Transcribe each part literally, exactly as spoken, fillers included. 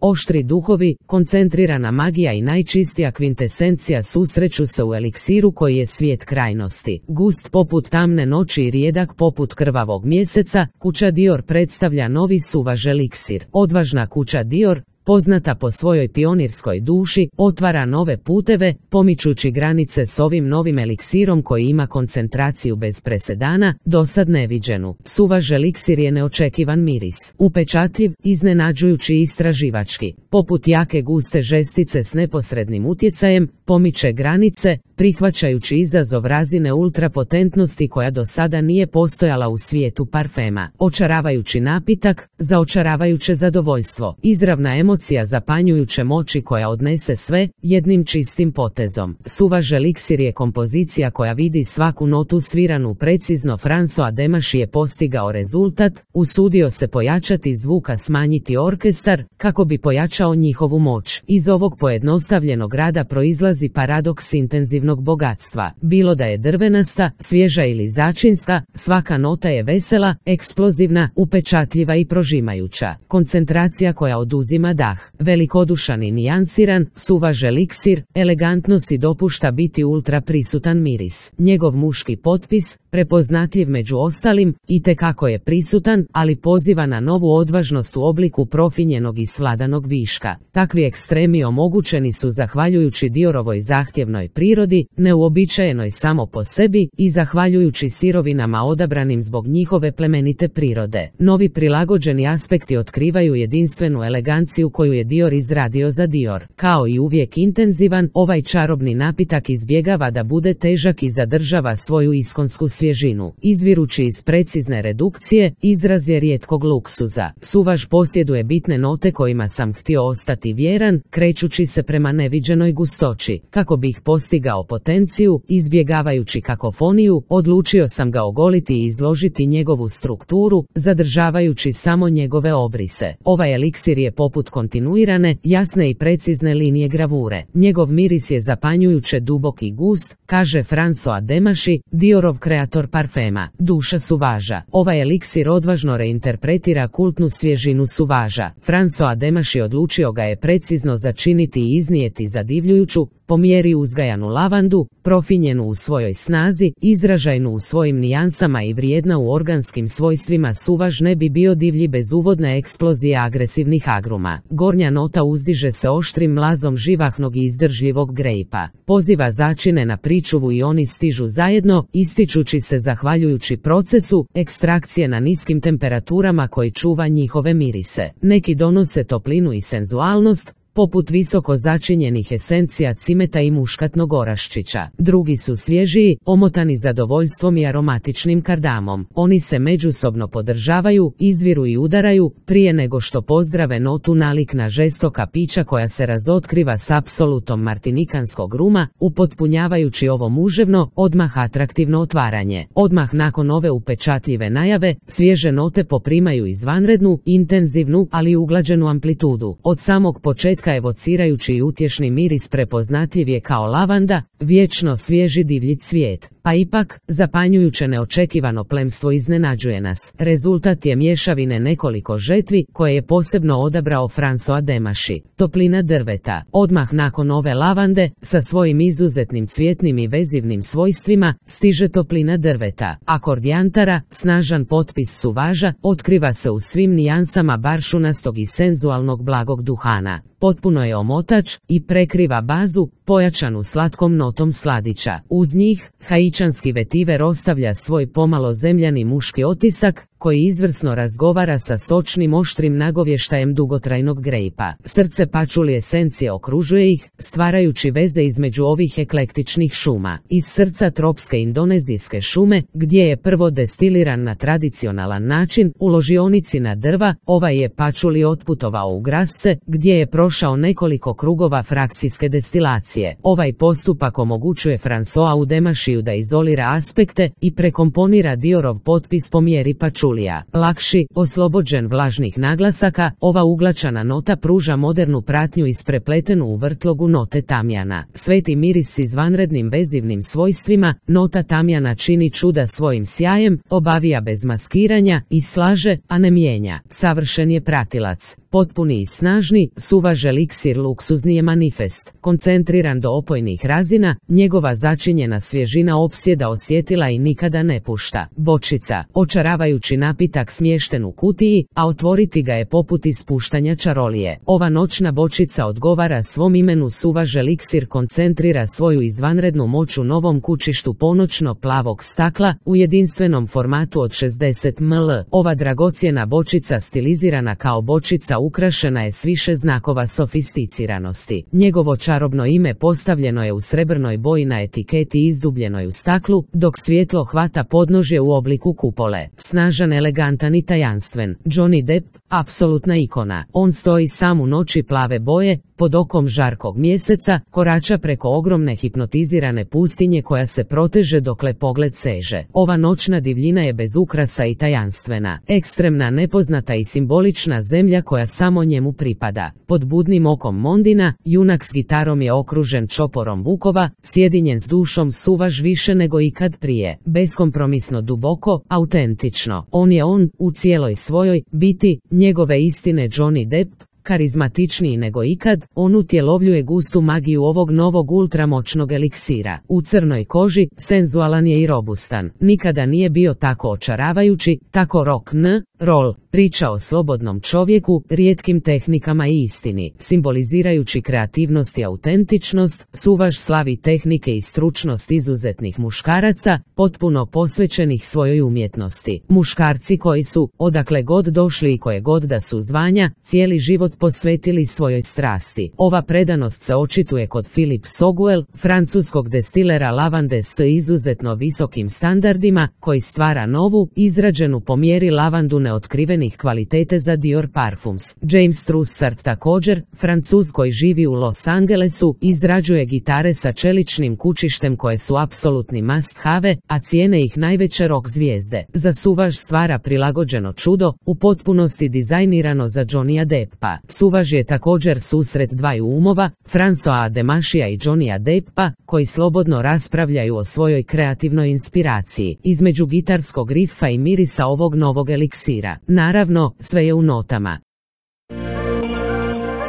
Oštri duhovi, koncentrirana magija i najčistija kvintesencija susreću se u eliksiru koji je svijet krajnosti. Gust poput tamne noći i rijedak poput krvavog mjeseca, kuća Dior predstavlja novi suvaž eliksir. Odvažna kuća Dior, poznata po svojoj pionirskoj duši, otvara nove puteve, pomičući granice s ovim novim eliksirom koji ima koncentraciju bez presedana, dosad neviđenu. Suvaž eliksir je neočekivan miris, upečatljiv, iznenađujući i istraživački. Poput jake guste žestice s neposrednim utjecajem, pomiče granice, prihvaćajući izazov razine ultrapotentnosti koja do sada nije postojala u svijetu parfema. Očaravajući napitak, zaočaravajuće zadovoljstvo, izravna emocija zapanjujuće moći koja odnese sve, jednim čistim potezom. Suvaž eliksir je kompozicija koja vidi svaku notu sviranu precizno. François Demachy je postigao rezultat, usudio se pojačati zvuka, smanjiti orkestar, kako bi pojačao njihovu moć. Iz ovog pojednostavljenog rada proizlazi paradoks intenzivnog bogatstva. Bilo da je drvenasta, svježa ili začinska, svaka nota je vesela, eksplozivna, upečatljiva i prožimajuća. Koncentracija koja oduzima dah. Velikodušan i nijansiran, suvaž eliksir, elegantno si dopušta biti ultra prisutan miris. Njegov muški potpis, prepoznatljiv među ostalim, itekako je prisutan, ali poziva na novu odvažnost u obliku profinjenog i svladanog viška. Takvi ekstremi omogućeni su zahvaljujući Diorovoj zahtjevnoj prirodi, neuobičajenoj samo po sebi, i zahvaljujući sirovinama odabranim zbog njihove plemenite prirode. Novi prilagođeni aspekti otkrivaju jedinstvenu eleganciju koju je Dior izradio za Dior. Kao i uvijek intenzivan, ovaj čarobni napitak izbjegava da bude težak i zadržava svoju iskonsku svježinu. Izvirući iz precizne redukcije, izraz je rijetkog luksuza. Suvaž posjeduje bitne note kojima sam htio ostati vjeran, krećući se prema neviđenoj gustoći. Kako bih postigao potenciju, izbjegavajući kakofoniju, odlučio sam ga ogoliti i izložiti njegovu strukturu, zadržavajući samo njegove obrise. Ovaj eliksir je poput kontinuirane, jasne i precizne linije gravure. Njegov miris je zapanjujuće dubok i gust, kaže François Demachy, Diorov kreator parfema. Duša suvaža. Ovaj eliksir odvažno reinterpretira kultnu svježinu suvaža. François Demachy odlučio ga je precizno začiniti i iznijeti zadivljujuću, po mjeri uzgajanu lavandu, profinjenu u svojoj snazi, izražajnu u svojim nijansama i vrijedna u organskim svojstvima. Suvaž ne bi bio divlji bez uvodne eksplozije agresivnih agruma. Gornja nota uzdiže se oštrim mlazom živahnog i izdržljivog grejpa. Poziva začine na pričuvu i oni stižu zajedno, ističući se zahvaljujući procesu ekstrakcije na niskim temperaturama koji čuva njihove mirise. Neki donose toplinu i senzualnost, poput visoko začinjenih esencija cimeta i muškatnog oraščića. Drugi su svježiji, omotani zadovoljstvom i aromatičnim kardamom. Oni se međusobno podržavaju, izviru i udaraju, prije nego što pozdrave notu nalik na žestoka pića koja se razotkriva s apsolutom martinikanskog ruma, upotpunjavajući ovo muževno, odmah atraktivno otvaranje. Odmah nakon ove upečatljive najave, svježe note poprimaju izvanrednu, intenzivnu, ali uglađenu amplitudu. Od samog početka evocirajući i utješni miris prepoznatljiv je kao lavanda, vječno svježi divlji cvijet. Pa ipak, zapanjujuće neočekivano plemstvo iznenađuje nas. Rezultat je mješavine nekoliko žetvi koje je posebno odabrao François Demachy. Toplina drveta. Odmah nakon ove lavande, sa svojim izuzetnim cvjetnim i vezivnim svojstvima, stiže toplina drveta. Akord jantara, snažan potpis suvaža, otkriva se u svim nijansama baršunastog i senzualnog blagog duhana. Potpuno je omotač i prekriva bazu, pojačanu slatkom notom sladića. Uz njih, haičanski vetiver ostavlja svoj pomalo zemljani muški otisak, koji izvrsno razgovara sa sočnim oštrim nagovještajem dugotrajnog grejpa. Srce pačuli esencije okružuje ih, stvarajući veze između ovih eklektičnih šuma. Iz srca tropske indonezijske šume, gdje je prvo destiliran na tradicionalan način, u ložionici na drva, ovaj je pačuli otputovao u grasce, gdje je prošao nekoliko krugova frakcijske destilacije. Ovaj postupak omogućuje Françoisu Demachyu da izolira aspekte i prekomponira Diorov potpis po mjeri pačuli. patchoulija. Lakši, oslobođen vlažnih naglasaka, ova uglačana nota pruža modernu pratnju isprepletenu u vrtlogu note tamjana. Sveti miris s izvanrednim vezivnim svojstvima, nota tamjana čini čuda svojim sjajem, obavija bez maskiranja i slaže, a ne mijenja. Savršen je pratilac. Potpuni i snažni, suvaž eliksir luksuzni je manifest. Koncentriran do opojnih razina, njegova začinjena svježina opsjeda osjetila i nikada ne pušta. Bočica, očaravajući napitak smješten u kutiji, a otvoriti ga je poput ispuštanja čarolije. Ova noćna bočica odgovara svom imenu. Suvaž eliksir koncentrira svoju izvanrednu moć u novom kućištu ponoćno plavog stakla u jedinstvenom formatu od šezdeset mililitara. Ova dragocjena bočica stilizirana kao bočica ukrašena je s više znakova sofisticiranosti. Njegovo čarobno ime postavljeno je u srebrnoj boji na etiketi izdubljenoj u staklu, dok svjetlo hvata podnožje u obliku kupole. Snažan, elegantan i tajanstven, Johnny Depp, apsolutna ikona. On stoji sam u noći plave boje, pod okom žarkog mjeseca, korača preko ogromne hipnotizirane pustinje koja se proteže dokle pogled seže. Ova noćna divljina je bez ukrasa i tajanstvena, ekstremna, nepoznata i simbolična zemlja koja samo njemu pripada. Pod budnim okom Mondina, junak s gitarom je okružen čoporom vukova, sjedinjen s dušom suvaž više nego ikad prije. Beskompromisno, duboko, autentično. On je on, u cijeloj svojoj biti, njegove istine Johnny Depp, karizmatičniji nego ikad, on utjelovljuje gustu magiju ovog novog ultramoćnog eliksira. U crnoj koži, senzualan je i robustan. Nikada nije bio tako očaravajući, tako rock n roll. Priča o slobodnom čovjeku, rijetkim tehnikama i istini. Simbolizirajući kreativnost i autentičnost, suvaž slavi tehnike i stručnost izuzetnih muškaraca, potpuno posvećenih svojoj umjetnosti. Muškarci koji su, odakle god došli i koje god da su zvanja, cijeli život posvetili svojoj strasti. Ova predanost se očituje kod Philip Soguel, francuskog destilera lavande s izuzetno visokim standardima, koji stvara novu, izrađenu po mjeri lavandu neotkrivenih kvalitete za Dior Parfums. James Trussard također, Francuz koji živi u Los Angelesu, izrađuje gitare sa čeličnim kućištem koje su apsolutni must have, a cijene ih najveće rock zvijezde. Za suvaž stvara prilagođeno čudo, u potpunosti dizajnirano za Johnnyja Deppa. Suvaž je također susret dvaju umova, Francoisa Demashija i Johnnyja Deppa, koji slobodno raspravljaju o svojoj kreativnoj inspiraciji. Između gitarskog rifa i mirisa ovog novog eliksira. Naravno, sve je u notama.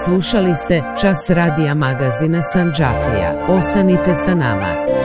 Slušali ste Čas radija magazina Sandžaklija. Ostanite sa nama.